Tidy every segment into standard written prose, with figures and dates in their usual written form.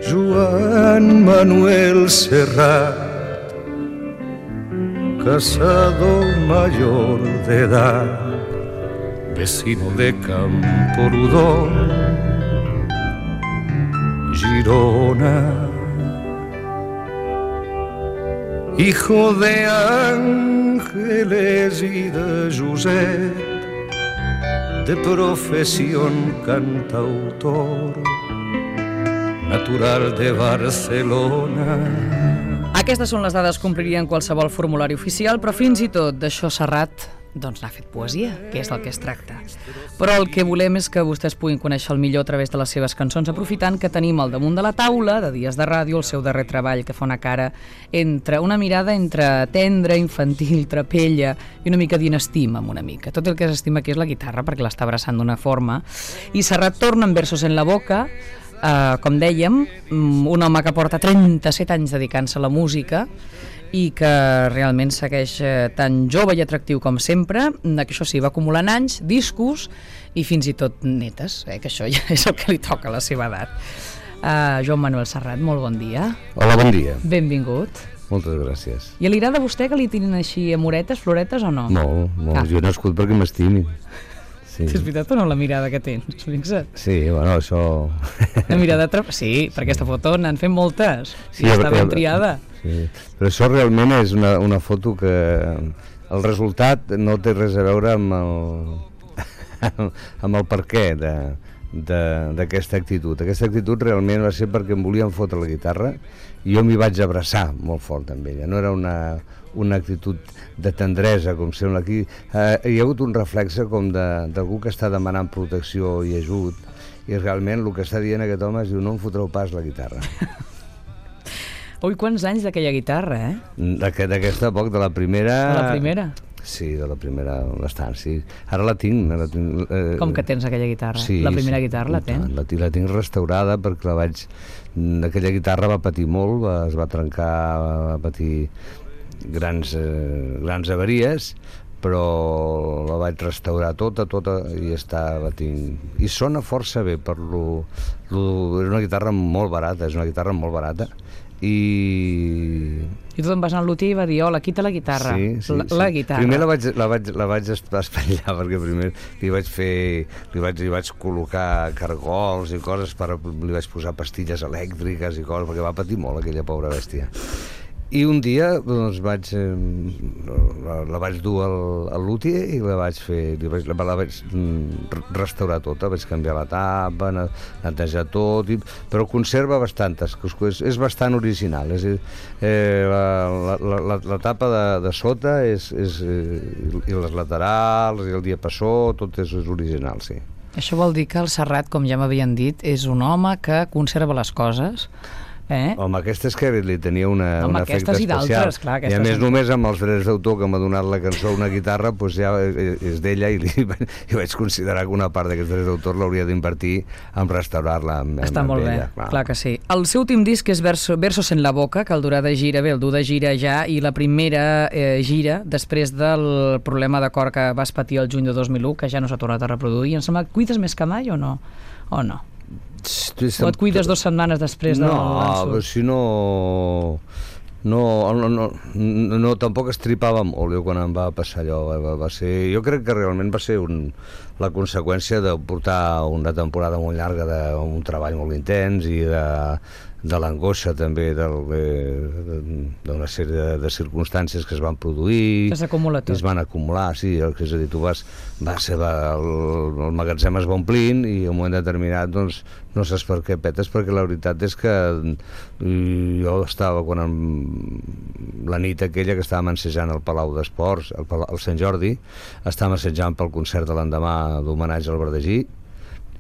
Joan Manuel Serrat, casado mayor de edad, vecino de Camprodon, Girona, hijo de Ángeles y de Josep, de profesión cantautor, natural de Barcelona. Aquestes són les dades que omplirien qualsevol formulari oficial, però fins i tot d'això Serrat doncs n'ha fet poesia, que és del que es tracta. Però el que volem és que vostès puguin conèixer el millor a través de les seves cançons, aprofitant que tenim al damunt de la taula, de Dies de Ràdio, el seu darrer treball, que fa una cara entre una mirada entre tendra, infantil, trapella i una mica d'inestima amb una mica. Tot el que s'estima aquí és la guitarra, perquè l'està abraçant d'una forma. I Serrat torna amb Versos en la boca, com dèiem, un home que porta 37 anys dedicant-se a la música i que realment segueix tan jove i atractiu com sempre, que això sí, va acumulant anys, discos i fins i tot netes, que això ja és el que li toca a la seva edat. Joan Manuel Serrat, molt bon dia. Hola, bon dia. Benvingut. Moltes gràcies. I li agrada a vostè que li tirin així amoretes, floretes o no? Molt, jo he nascut perquè m'estimin. Sí. És veritat o no la mirada que tens? Fixa't. Sí, bueno, això... La mirada... Sí, per aquesta foto n'han fet moltes. Sí, està ben triada. Sí. Però això realment és una foto que el resultat no té res a veure amb el perquè d'aquesta actitud. Aquesta actitud realment va ser perquè em volien fotre la guitarra i jo m'hi vaig abraçar molt fort amb ella. No era una actitud de tendresa, com sembla aquí. Hi ha hagut un reflexe com d'algú que està demanant protecció i ajut, i realment el que està dient aquest home és: no em fotreu pas la guitarra. Ui, quants anys d'aquella guitarra, D'aquesta poc, de la primera... De la primera? Sí, de la primera bastant, sí. Ara la tinc. Com que tens aquella guitarra? Sí, la primera guitarra la tens? La tinc restaurada perquè aquella guitarra va patir molt, es va trencar, va patir grans avaries, però la vaig restaurar tota i la tinc. I sona força bé és una guitarra molt barata, i tu te'n vas anar al luthier i va dir: hola, quita la guitarra. Sí. La guitarra. Primer la vaig espatllar, perquè primer li vaig col·locar cargols i coses, li vaig posar pastilles elèctriques i coses, perquè va patir molt aquella pobra bèstia. I un dia doncs, la vaig dur al luthier i la vaig restaurar tota, vaig canviar la tapa, netejar tot, però conserva bastantes, és bastant original. La tapa de sota i les laterals i el diapassó, tot és original, sí. Això vol dir que el Serrat, com ja m'havien dit, és un home que conserva les coses. Home, aquesta és que li tenia un efecte especial. Clar, i a més només amb els drets d'autor que m'ha donat la cançó una guitarra, doncs ja és d'ella, i vaig considerar que una part d'aquests drets d'autor l'hauria d'invertir en restaurar-la. Està molt bé, clar que sí. El seu últim disc és Versos en la boca, que el durà de gira, el dur de gira ja, i la primera gira després del problema de cor que vas patir el juny de 2001, que ja no s'ha tornat a reproduir. Em sembla que cuides més que mai o no? O no? O et cuides 2 setmanes després del l'ensurt? No, si no, tampoc estripava molt jo quan em va passar allò. Jo crec que realment va ser la conseqüència de portar una temporada molt llarga d'un treball molt intens i de l'angoixa també d'una sèrie de circumstàncies que es van produir, es van acumular, sí, és a dir, el magatzem es va omplint i en un moment determinat doncs no saps per què petes, perquè la veritat és que jo estava la nit aquella que estàvem ensejant al Palau d'Esports, al Sant Jordi, estàvem assajant pel concert de l'endemà d'homenatge al Verdegí,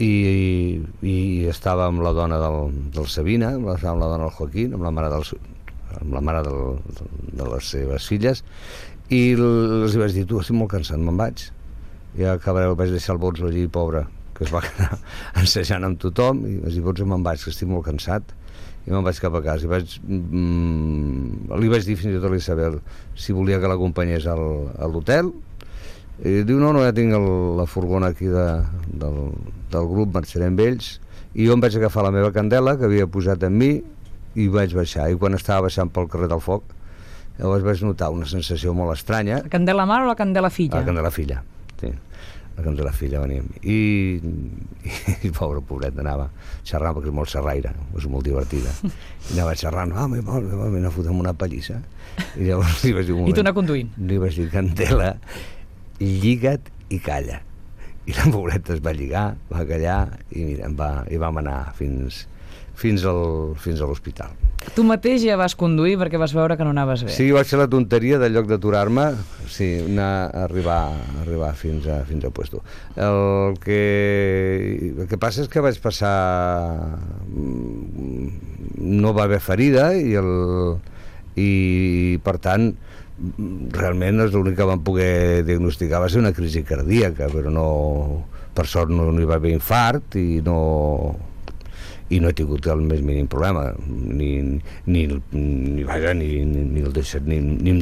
i estava amb la dona del Sabina, estava amb la dona del Joaquín, amb la mare de les seves filles, i els vaig dir: tu, estic molt cansat, me'n vaig. I acabareu, vaig deixar el Botzo allí, pobre, que es va quedar ensejant amb tothom, i vaig dir: Botzo, me'n vaig, que estic molt cansat. I me'n vaig cap a casa, li vaig dir fins i tot a l'Isabel si volia que l'acompanyés a l'hotel. I diu: no, ja tinc la furgona aquí del grup, marxaré amb ells. i jo em vaig agafar la meva candela que havia posat en mi i vaig baixar, i quan estava baixant pel carrer del Foc llavors vaig notar una sensació molt estranya. La candela mare o la candela filla? La candela filla, sí. La candela filla venia amb mi. I pobret, anava xerrant, perquè és molt xerraire, és molt divertida. I anava xerrant, m'he fotut amb una pallissa. I llavors li vaig dir un moment. I tu anar conduint? Li vaig dir, Candela, lliga't i calla. I la pobreta es va lligar, va callar, i mira, vam anar fins a l'hospital. Tu mateix ja vas conduir perquè vas veure que no anaves bé. Sí, vaig fer la tonteria del lloc d'aturar-me, sí, arribar fins al puesto. El que passa és que vaig passar... No va haver ferida i per tant realment l'únic que van poder diagnosticar va ser una crisi cardíaca, però no, per sort no hi va haver infart i no he tingut el més mínim problema, ni em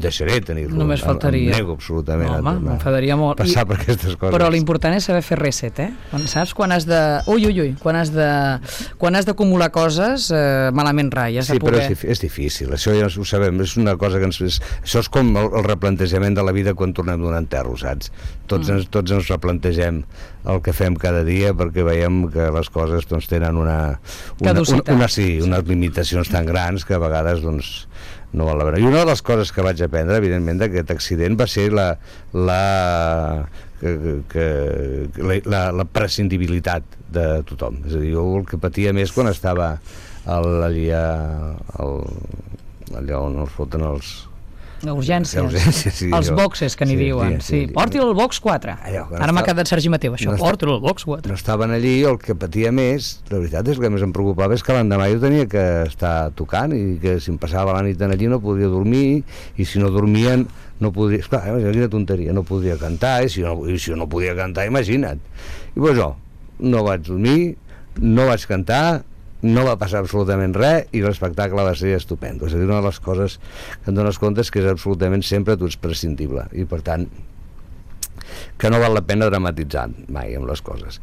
deixaré tenir-lo. Només faltaria. Em nego absolutament. Home, m'enfadaria molt. Passar per aquestes coses. Però l'important és saber fer reset, Saps quan has de... Quan has d'acumular coses, malament rai. Sí, però és difícil, això ja ho sabem, és una cosa que això és com el replantejament de la vida quan tornem d'un enterro, saps? Tots ens replantegem el que fem cada dia perquè veiem que les coses doncs, tenen unes limitacions tan grans que a vegades doncs, no val la pena. I una de les coses que vaig aprendre, evidentment, d'aquest accident va ser la prescindibilitat de tothom. És a dir, jo el que patia més quan estava allà on els foten els... Urgències, sí, els boxes que n'hi diuen, porti-lo al box 4. Ara m'ha quedat Sergi Mateu, això, porti-lo al box 4. No estaven allí, el que patia més, la veritat és que més em preocupava és que l'endemà jo tenia que estar tocant i que si em passava la nit allí no podia dormir, i si no dormien no podia... Esclar, quina tonteria, no podia cantar, i si jo no podia cantar, imagina't. I doncs no vaig dormir, no vaig cantar, no va passar absolutament res i l'espectacle va ser estupendo. És a dir, una de les coses que em dones compte és que és absolutament sempre tu ets prescindible i per tant que no val la pena dramatitzar mai amb les coses.